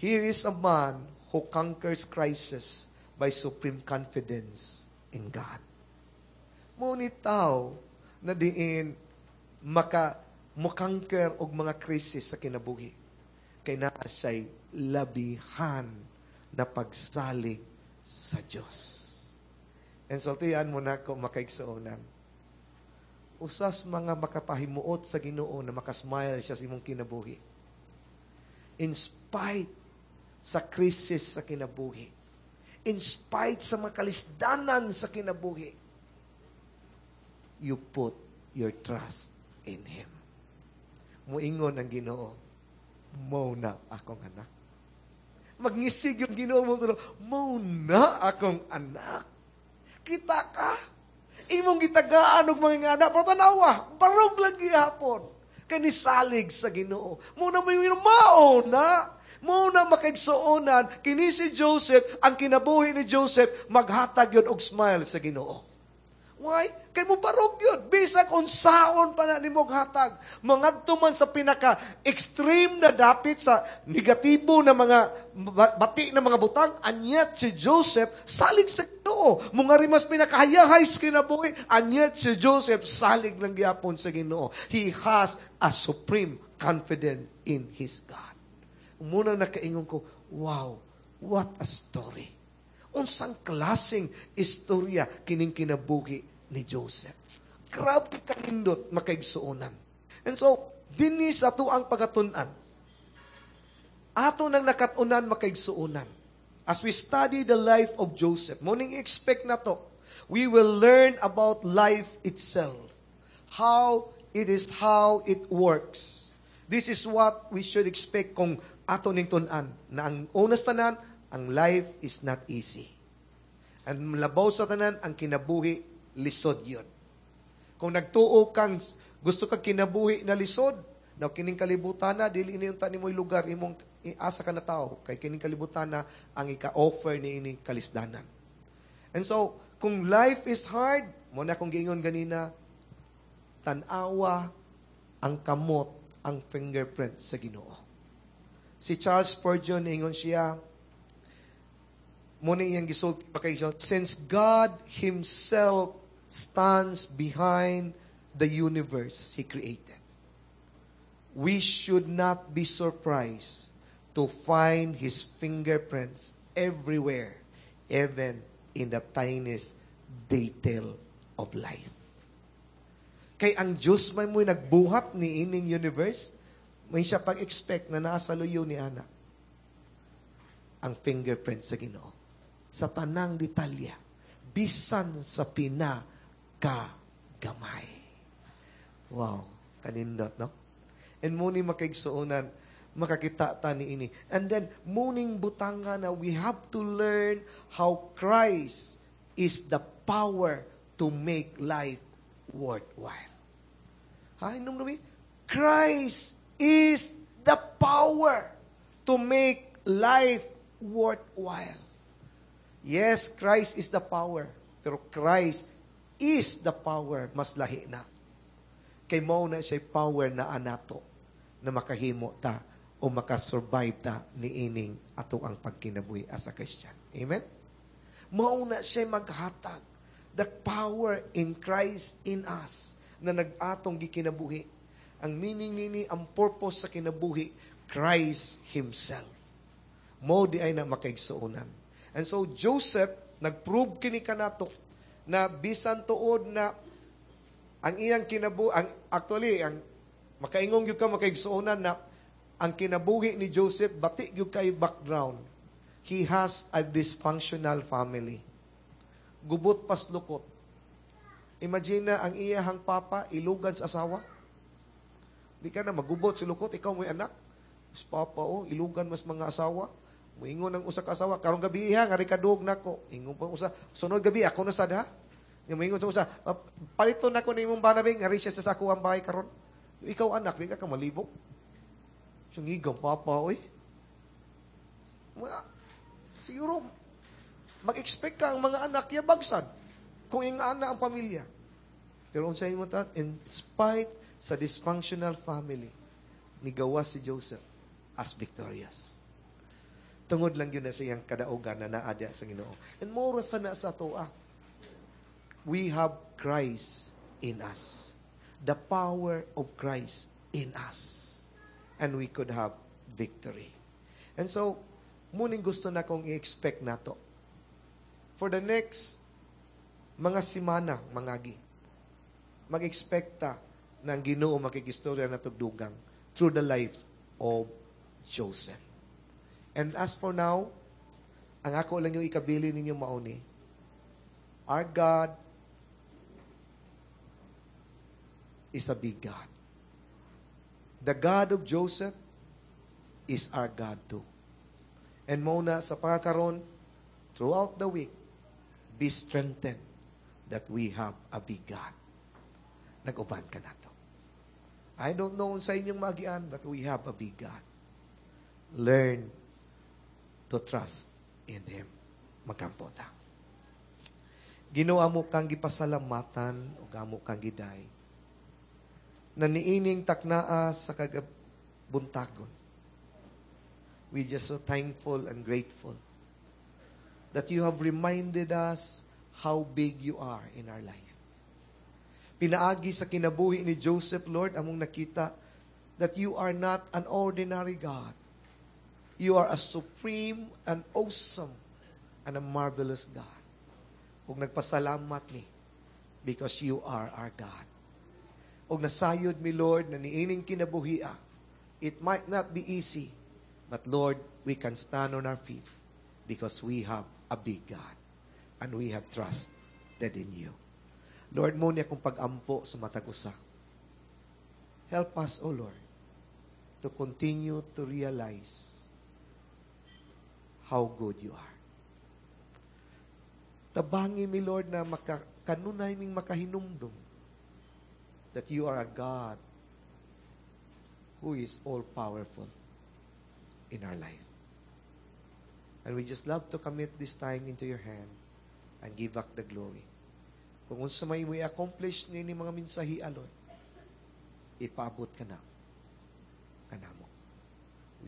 here is a man who conquers crisis by supreme confidence in God. Mo ni tao na diin maka mo-conquer og mga krisis sa kinabuhi. Kay naa siya'y labihan na pagsalig sa Diyos. And sultian mo na ko, makaigsuonan. Usas mga makapahimuot sa Ginoo na makasmile siya sa imong kinabuhi. In spite sa krisis sa kinabuhi, in spite sa mga kalisdanan sa kinabuhi, you put your trust in Him. Muingon ang Ginoo, "Mo na akong anak." Magngisig yung Ginoo mo mao na akong anak. Kita ka. Imong gitagaan og mga anak, pero tanawa, barog lang gihapon. Kay nisalig sa Ginoo. Mao na may mao na. Mao na makaigsuonan, kini si Joseph, ang kinabuhi ni Joseph, maghatag yun og smile sa Ginoo. Why? Kay mo barog yun. Bisag unsaon pa na nimo hatag. Mangadto man sa pinaka extreme na dapit sa negatibo na mga bati na mga butang, anyat si Joseph salig sa Ginoo. Mga mas pinakahayahay sa kinabuhi, anyat si Joseph salig lang gyapon sa Ginoo. He has a supreme confidence in his God. Muna nakaingon ko, wow, what a story. Unsang klaseng istorya kining kinabuhi ni Joseph. Grabe kanindot makaigsuonan. And so, dinhi sa atuang pagatun-an. Ato nang nakat-unan makaigsuonan. As we study the life of Joseph, morning expect na to, we will learn about life itself. How it is how it works. This is what we should expect kung ato ning tun-an na ang unas tanan, ang life is not easy. And labaw sa tanan, ang kinabuhi lisod yun. Kung nagtuo kang gusto kang kinabuhi na lisod, na kining kalibutan na, dili ini unta nimoy lugar, imong asa ka na tao, kay kining kalibutan na ang ika-offer ni ini kalisdanan. And so, kung life is hard, mao na akong giingon ganina, tan-awa ang kamot, ang fingerprint sa Ginoo. Si Charles Spurgeon, ingon siya, mao ni iyang gisulti pa kay since God Himself stands behind the universe He created, we should not be surprised to find His fingerprints everywhere, even in the tiniest detail of life. Kay ang Diyos may mo'y nagbuhat ni ining universe, may siya pag-expect na nasa luyo ni Ana. Ang fingerprint sa Ginoo. Sa tanang detalya, bisan sa pinakagamay. Wow, kanindot, no? And muni makaigsuonan, makakita ta ni ini. And then, muning butanga na we have to learn how Christ is the power to make life worthwhile. Ha, inom numi? Christ is the power to make life worthwhile. Yes, Christ is the power. Pero Christ is the power, mas lahi na. Kay mao na siya power na anato na makahimo ta o makasurvive ta ni ining ato ang pagkinabuhi as a Christian. Amen? Mao na siya maghatag the power in Christ in us na nag-atong gikinabuhi. Ang meaning nini, ang purpose sa kinabuhi, Christ Himself. Mao di ay na makaigsuonan. And so Joseph, nag-prove kini kanato na bisan tuod na ang iyang kinabuhi, ang, actually, ang makaingong gyud ka makaigsuonan na ang kinabuhi ni Joseph, bati gyud kay background. He has a dysfunctional family. Gubot paslukot. Imagine na ang iyahang papa, ilugan sa asawa. Di ka na magubot si lukot, ikaw mo'y anak. Mas papa, oh, ilugan mas mga asawa. Muingon ang usa ka asawa, karong gabi ha, ngari kadug nako. Ingon pa usa, sunod gabi ako na sad ha. Nga moingon sa usa, "Ah, paliton nako ni imong bana ngari siya sa sako ang bahay karon. Ikaw anak, di ka ka malibok. Sungigang papa, oy. Mga, siguro, mag-expect ka ang mga anak, yabagsan. Kung ing ana ang pamilya. Pero unsay mo ta, in spite sa dysfunctional family, nigawa si Joseph as victorious. Tungod lang yun na sa iyang kadaugan na naadya sa Ginoo. And more sa na sa atoa. We have Christ in us. The power of Christ in us. And we could have victory. And so, muning gusto na kong i-expect nato. For the next mga simana, mangagi, mag-expect ta na ang Ginoo makikistorya na tugdugang through the life of Joseph. And as for now, ang ako lang yung ikabili ninyo mauni, our God is a big God. The God of Joseph is our God too. And mao na sa pagkakaron, throughout the week, be strengthened that we have a big God. Nag-uban ka nato. I don't know sa inyong maagian, but we have a big God. Learn to trust in Him. Magampo ta. Ginoo amo kang gipasalamatan ug amo kang giday. Na niining taknaa sa kagabuntagon. We just so thankful and grateful that you have reminded us how big you are in our life. Pinaagi sa kinabuhi ni Joseph, Lord, among nakita that you are not an ordinary God. You are a supreme and awesome and a marvelous God. Ug nagpasalamat mi because you are our God. Ug nasayod mi, Lord, na niining kinabuhia, it might not be easy, but Lord, we can stand on our feet because we have a big God and we have trusted in you. Lord, mao ni akong pag-ampo sa matag usa. Help us, O Lord, to continue to realize how good you are. Tabangi mi, Lord, na maka, kanunay ming makahinumdum that you are a God who is all-powerful in our life. And we just love to commit this time into your hand and give back the glory. Kung unsa may mo i-accomplish ni mga mensahe, Lord, ipaabot ka na. Kanamo.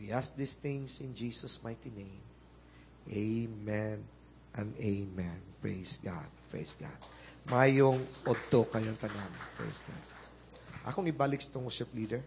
We ask these things in Jesus' mighty name. Amen and amen. Praise God. Praise God. Maayong udto kayong tanan. Praise God. Akong ibalik sa worship leader.